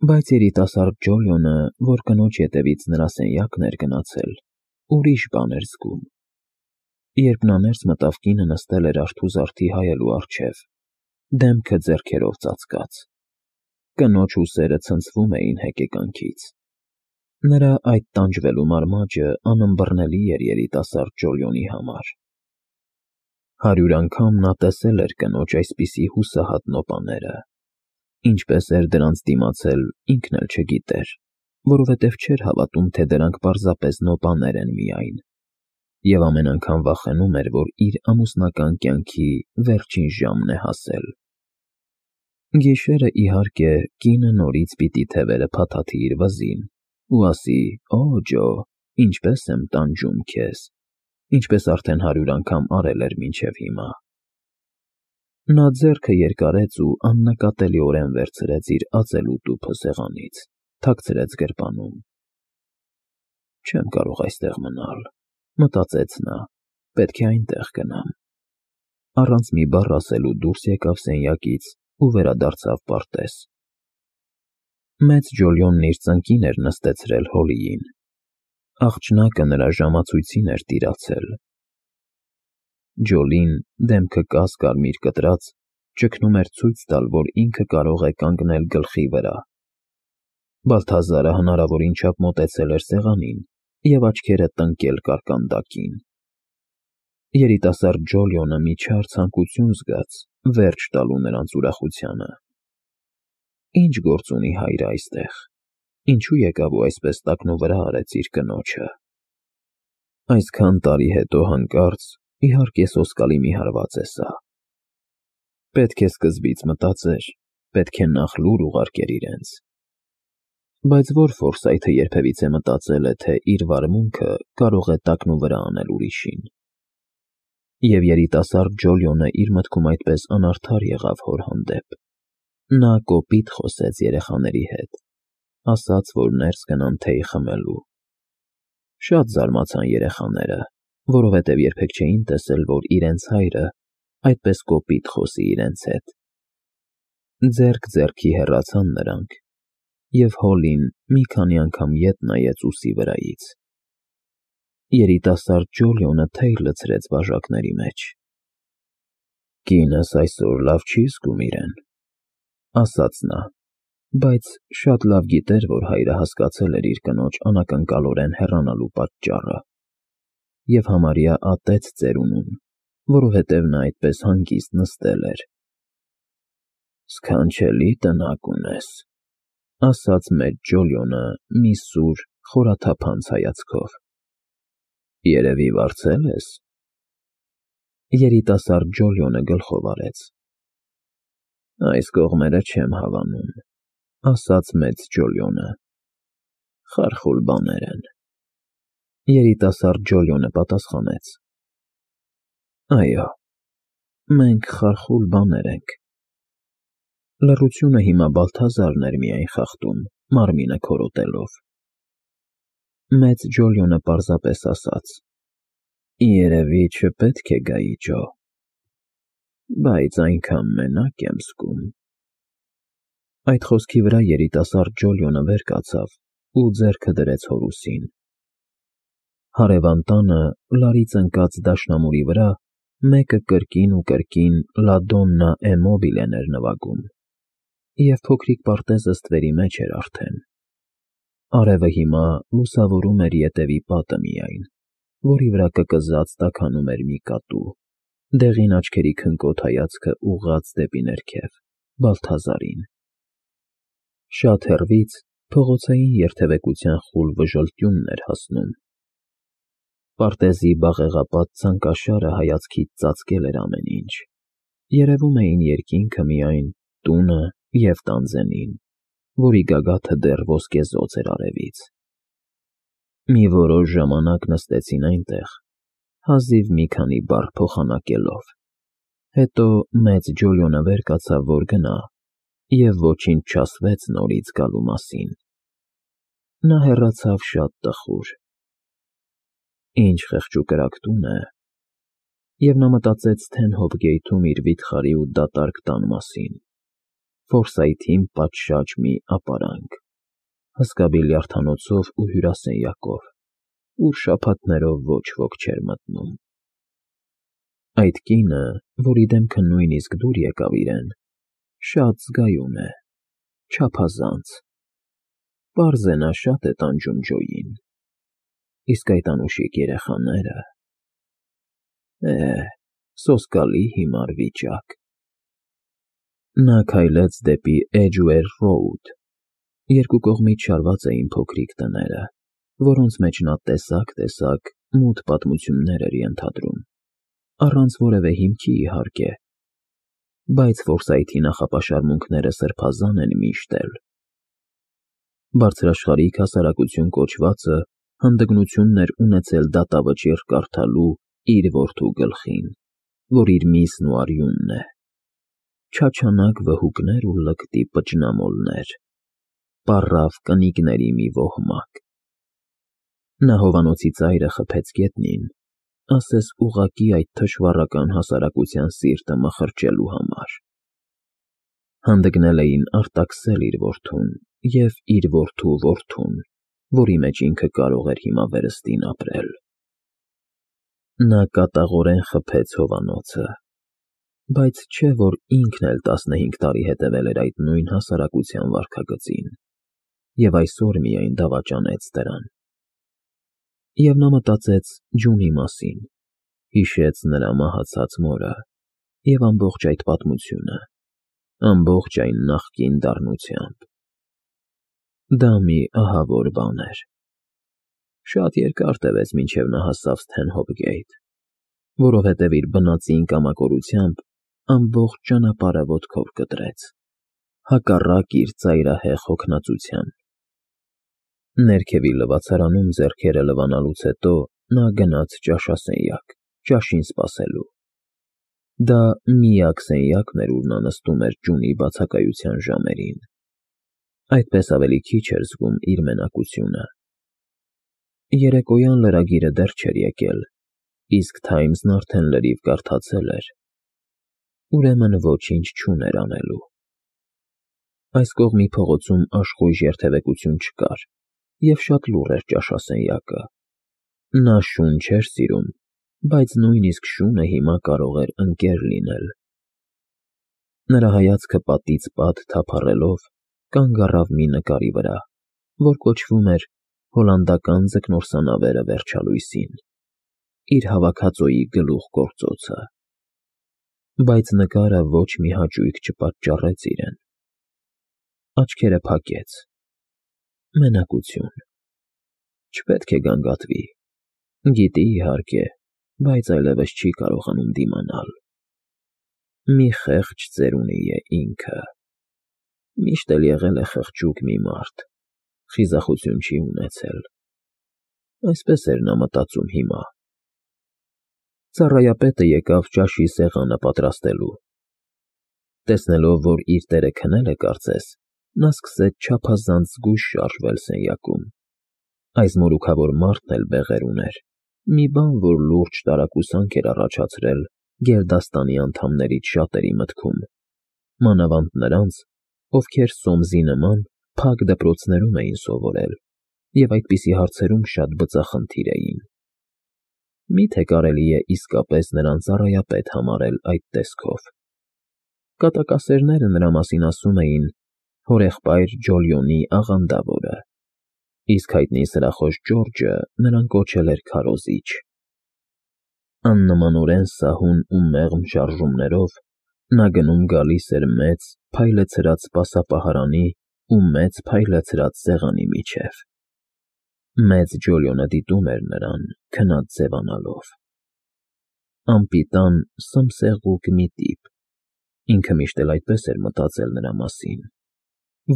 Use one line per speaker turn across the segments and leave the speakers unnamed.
Բայց երիտասարդ Ջոլիոնը, որ կնոջ ետևից նրա սենյակն էր գնացել, ուրիշ բան էր զգում։ Երբ նա ներս մտավ, կինը նստել էր արթուզարդի հայելու առջև, դեմքը ձեռքերով ծածկած։ Կնոջ ուսերը ցնցվում էին հեկեկանքից։ Նրա այդ տանջվելու մարմաճը անըմբռնելի էր երիտասարդ Ջոլիոնի համար։ 100 անգամ նա տեսել էր կնոջ այսպիսի հուսահատ նոպաները։ Ինչպես էր դրանց դիմացել, ինքն էլ չգիտեր, որովհետև չէր հավատում, թե դրանք պարզապես նոպաներ են միայն, և ամեն անգամ վախենում էր, որ իր ամուսնական կյանքի վերջին ժամն է հասել։ Գիշերը, իհարկե, կինը նորից պիտի թևերը փաթաթի իր վզին ու ասի. «Օ, Ջո, ինչպես եմ տանջում քեզ», ինչպես արդեն 100 անգամ արել էր մինչև հիմա։ Նա ձեռքը երկարեց ու աննկատելիորեն վերցրեց իր ածելու տուփը սեղանից, թաքցրեց գրպանում։ «Չեմ կարող այստեղ մնալ», մտածեց նա, «պետք է այնտեղ գնամ»։ Առանց մի բառ ասելու դուրս եկավ սենյակից ու վերադարձավ պարտեզ։ Մեծ Ջոլիոնն իր ծնկին էր նստեցրել Հոլիին։ Աղջնակը նրա ժամացույցին էր տիրացել։ Ջոլին, դեմքը կաս-կարմիր կտրած, ճգնում էր ցույց տալ, որ ինքը կարող է կանգնել գլխի վրա։ Բալթազարը հնարավորին չափ մոտեցել էր սեղանին և աչքերը տնկել կարկանդակին։ Երիտասարդ Ջոլիոնը մի չար ցանկություն զգաց վերջ տալու նրանց ուրախությանը։ Ինչ գործ ունի հայրը այստեղ, ինչու եկավ ու այսպես տակնուվրա արեց իր կնոջը։ Այսքան տարի հետո հանկարծ, իհարկե, սոսկալի մի հարված է սա։ Պետք է սկզբից մտածեր, պետք է նախ լուր ուղարկեր իրենց։ Բայց որ Ֆորսայթը երբևիցե մտածել է, թե իր վարմունքը կարող է տակնուվրա անել ուրիշին։ Եվ երիտասարդ Ջոլիոնը իր մտքում այդպես անարդար եղավ հոր հանդեպ։ Նա կոպիտ խոսեց երեխաների հետ, ասաց, որ ներս գնան թեյ խմելու։ Շատ զարմացան երեխաները, որովհետև երբեք չէին տեսել, որ իրենց հայրը այդպես կոպիտ խոսի իրենց հետ։ Ձեռք ձեռքի հեռացան նրանք, և Հոլին մի քանի անգամ ետ նայեց ուսի վրայից։ Երիտասարդ Ջոլիոնը թեյ լցրեց բաժակների մեջ։ «Կինս այսօր լավ չի զգում իրեն», ասաց նա, բայց շատ լավ գիտեր, որ հայրը հասկացել էր իր կնոջ անակնկալորեն հեռանալու պատճառը և համարյա ատեց ծերունուն, որովհետև նա այդպես հանգիստ նստել էր։ «Սքանչելի տնակ ունես», ասաց մեծ Ջոլիոնը մի սուր, խորաթափանց հայացքով։ «Երևի վարձել ես»։ Երիտասարդ Ջոլիոնը գլխով արեց։ «Այս կողմերը չեմ հավանում», ասաց մեծ Ջոլիոնը։ «Խարխուլ բաներ են»։ Երիտասարդ Ջոլիոնը պատասխանեց. «Այո, մենք խարխուլ բաներ ենք»։ Լռությունը հիմա Բալթազարն էր միայն խախտում, մարմինը քորոտելով։ Մեծ Ջոլիոնը պարզապես ասաց. «Երևի չպետք է գայի, Ջո, բայց այնքան մենակ եմ զգում»։ Այդ խոսքի վրա երիտասարդ Ջոլիոնը վեր կացավ ու ձեռքը դրեց հոր ուսին։ Հարևան տանը, լարից ընկած դաշնամուրի վրա, մեկը կրկին ու կրկին «Լա Դոննա է մոբիլեն» էր նվագում, և փոքրիկ պարտեզը ստվերի մեջ էր արդեն։ Արևը հիմա լուսավորում էր ետևի պատը միայն, որի վրա կկզած տաքանում էր մի կատու, դեղին աչքերի քնկոտ հայացքը ուղղած դեպի ներքև, Բալթազարին։ Շատ հեռվից փողոցային երթևեկության խուլ վժլտյունն էր հասնում։ Պարտեզի բաղեղապատ ցանկաշարը հայացքից ծածկել էր ամեն ինչ։ Երևում էին երկինքը միայն, տունը և տանձենին, որի գագաթը դեռ ոսկեզօծ էր արևից։ Մի որոշ ժամանակ նստեցին այնտեղ, հազիվ մի քանի բառ փոխանակելով։ Հետո մեծ Ջոլիոնը վեր կացավ, որ գնա, և ոչինչ չասվեց նորից գալու մասին։ Նա հեռացավ շատ տխուր։ Ինչ խեղճուկրակ տուն է։ Եվ նա մտածեց Սթենհոփ Գեյթում իր վիթխարի ու դատարկ տան մասին։ Ֆորսայթին պատշաճ մի ապարանք, հսկա բիլիարդանոցով ու հյուրասենյակով, ուր շաբաթներով ոչ ոք չէր մտնում։ Այդ կինը, որի դեմքը նույնիսկ դուր եկավ իրեն, շատ զգայուն է, չափազանց։ Պարզ է նա շատ է տանջում Ջոյին, իսկ այդ անուշիկ երեխաները… սոսկալի հիմար վիճակ։ Նա քայլեց դեպի Էջուեր Ռոուդ։ Երկու կողմից շարված էին փոքրիկ տները, որոնց մեջ նա տեսակ մութ պատմություններ էր ենթադրում, առանց որևէ հիմքի, իհարկե, բայց Ֆորսայթի նախապաշարմունքները սրբազան են միշտ էլ։ Բարձրաշխարհիկ հասարակություն կոչվածը հանդգնությունն էր ունեցել դատավճիռ կարդալու իր որդու գլխին, որ իր միսն ու արյունն է, չաչանակ վհուկներ ու լկտի պճնամոլներ, պառավ կնիկների մի ոհմակ։ Նա հովանոցի ծայրը խփեց գետնին, ասես ուղղակի այդ թշվառական հասարակության սիրտը մխրճելու համար։ Հանդգնել էին արտաքսել իր որդուն և իր որդու որդուն, որի մեջ ինքը կարող էր հիմա վերստին ապրել։ Նա կատաղորեն խփեց հովանոցը, բայց չէ որ ինքն էլ 15 տարի հետևել էր այդ նույն հասարակության վարքագծին և այսօր միայն դավաճանեց դրան։ Եվ նա մտածեց Ջունի մասին, հիշեց նրա մահացած մորը և ամբողջ այդ պատմությունը, ամբողջ այն նախկին դառնությամբ։ Դա մի ահավոր բան էր։ Շատ երկար տևեց, մինչև նա հասավ Սթենհոփ գեյթ, որովհետև իր բնածին կամակորությամբ ամբողջ ճանապարհը ոտքով կտրեց, հակառակ իր ծայրահեղ հոգնածության։ Ներքևի լվացարանում ձեռքերը լվանալուց հետո նա գնաց ճաշասենյակ, ճաշին սպասելու։ Դա միակ սենյակն էր, ուր նա նստում էր Ջունի բացակայության ժամերին։ Այդպես ավելի քիչ էր զգում իր մենակությունը։ Երեկոյան լրագիրը դեռ չէր եկել, իսկ Թայմզն արդեն լրիվ կարդացել էր, ուրեմն ոչինչ չուներ անելու։ Այս կողմի փողոցում աշխույժ երթևեկություն չկար, և շատ լուռ էր ճաշասենյակը։ Նա շուն չէր սիրում, բայց նույնիսկ շունը հիմա կարող էր ընկեր լինել։ Նրա հայացքը պատից պատ թափառելով կանգ առավ մի նկարի վրա, որ կոչվում էր «Հոլանդական ձկնորսանավերը վերջալույսին», իր հավաքածուի գլուխգործոցը։ Բայց նկարը ոչ մի հաճույք չպատճառեց իրեն։ Աչքերը փակեց։ Մենակություն։ Չպետք է գանգատվի։ Գիտի, իհարկե, բայց այլևս չի կարողանում դիմանալ։ Մի խեղճ ծերունի է ինքը։ Միշտ էլ եղել է խղճուկ մի մարդ, խիզախություն չի ունեցել։ Այսպես էր նա մտածում հիմա։ Ծառայապետը եկավ ճաշի սեղանը պատրաստելու։ Տեսնելով, որ իր տերը քնել է կարծես, նա սկսեց չափազանց զգույշ շարժվել սենյակում։ Այս մորուքավոր մարդն էլ բեղեր ուներ, մի բան, որ լուրջ տարակուսանք էր առաջացրել գերդաստանի անդամներից շատերի մտքում, մանավանդ նրանց, ովքեր Սոմսի նման փակ դպրոցներում էին սովորել և այդպիսի հարցերում շատ բծախնդիր էին։ Մի՞թե կարելի է իսկապես նրան ծառայապետ համարել այդ տեսքով։ Կատակասերները նրա մասին ասում էին հորեղբայր Ջոլիոնի աղանդավորը, իսկ հայտնի սրախոս Ջորջը նրան կոչել էր քարոզիչ։ Աննմանորեն սահուն ու մեղմ շարժումներով նա գնում֊գալիս էր մեծ, փայլեցրած սպասապահարանի ու մեծ փայլեցրած սեղանի միջև։ Մեծ Ջոլիոնը դիտում էր նրան, քնած ձևանալով։ Անպիտան, սմսեղուկ մի տիպ, ինքը միշտ էլ այդպես էր մտածել նրա մասին,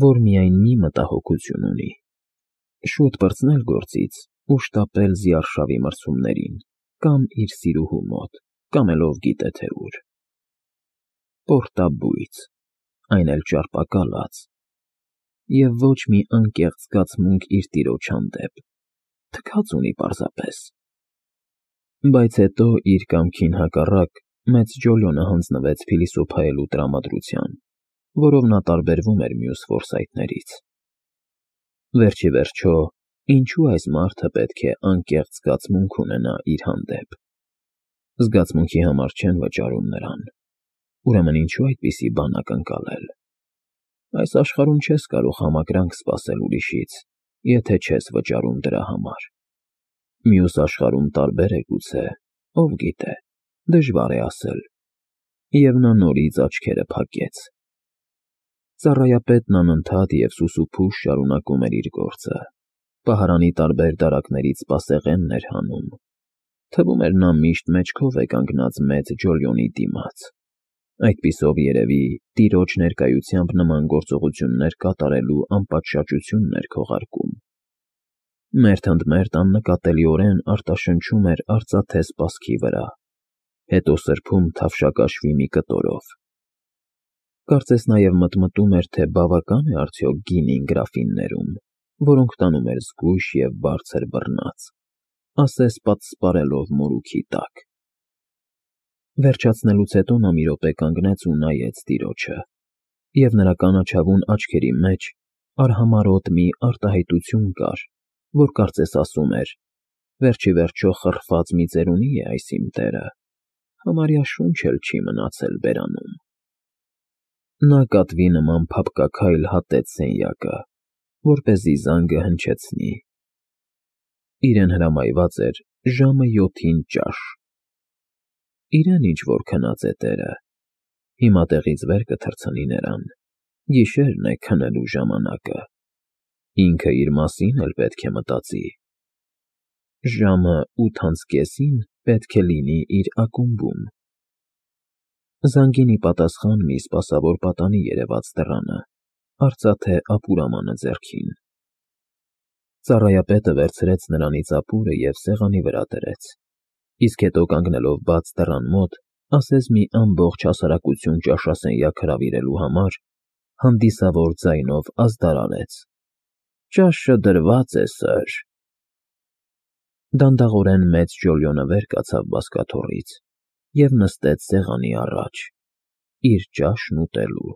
որ միայն մի մտահոգություն ունի՝ շուտ պրծնել գործից ու շտապել զիարշավի մրցումներին, կամ իր սիրուհու մոտ, կամ էլ ով գիտե թե ուր։ Պորտաբույծ, այն էլ ճարպակալած, և ոչ մի անկեղծ զգացմունք իր տիրոջ հանդեպ, թքած ունի պարզապես։ Բայց հետո իր կամքին հակառակ մեծ Ջոլիոնը հանձնվեց փիլիսոփայելու տրամադրության որով նա տարբերվում էր մյուս ֆորսայթներից։ Վերջի վերջո, ինչու այս մարդը պետք է անկեղծ զգացմունք ունենա իր հանդեպ։ Զգացմունքի համար չեն վճարում նրան, ուրեմն ինչու այդպիսի բան ակնկալել։ Այս աշխարհում չես կարող համակրանք սպասել ուրիշից, եթե չես վճարում դրա համար։ Մյուս աշխարհում տարբեր է գուցե, ով գիտե, դժվար է ասել։ Եվ նա նորից աչքերը փակեց։ Ծառայապետն անընդհատ և սուսուփուշ շարունակում էր իր գործը։ Պահարանի տարբեր դարակներից սպասեղենն էր հանում։ Թվում էր նա միշտ մեջքով է կանգնած մեծ Ջոլիոնի դիմաց։ Այդպիսով երևի տիրոջ ներկայությամբ նման գործողություններ կատարելու անպատշաճությունն էր քողարկում։ Մերթ ընդ մերթ աննկատելիորեն արտաշնչում էր արծաթե սպասքի վրա, հետո սրբում թավշակաշվի մի կտորով։ Կարծես նաև մտմտում էր, թե բավական է արդյոք գինին գրաֆիններում, որոնք տանում էր զգույշ և բարձր բռնած, ասես պատսպարելով մորուքի տակ։ Վերջացնելուց հետո նա մի րոպե կանգնեց ու նայեց տիրոջը, և նրա կանաչավուն աչքերի մեջ արհամարհոտ մի արտահայտություն կար, որ կարծես ասում էր. «Վերջ ի վերջո խռխված մի ծերունի է այս իմ տերը, համարյա շունչ էլ չի մնացել բերանում»։ Նա կատվի նման փափկաքայլ հատեց սենյակը, որպեսզի զանգը հնչեցնի։ Իրեն հրամայված էր ժամը 7-ին ճաշ։ Իրեն ինչ-որ քնած է տերը, հիմա տեղից վեր կթռցնի նրան, գիշերն է քնելու ժամանակը, ինքը իր մասին էլ պետք է մտածի։ Ժամը 8:30 պետք է լինի իր ակումբում։ Զանգին ի պատասխան մի սպասավոր պատանի երևաց դռանը, արծաթե ապուրամանը ձեռքին։ Ծառայապետը վերցրեց նրանից ապուրը և սեղանի վրա դրեց, իսկ հետո կանգնելով բաց դռան մոտ, ասես մի ամբողջ հասարակություն ճաշասենյակ հրավիրելու համար, հանդիսավոր ձայնով ազդարարեց. «Ճաշը դրված է, սըր»։ Դանդաղորեն մեծ Ջոլիոնը վեր կացավ բազկաթոռից և նստեց սեղանի առաջ, իր ճաշն ուտելու։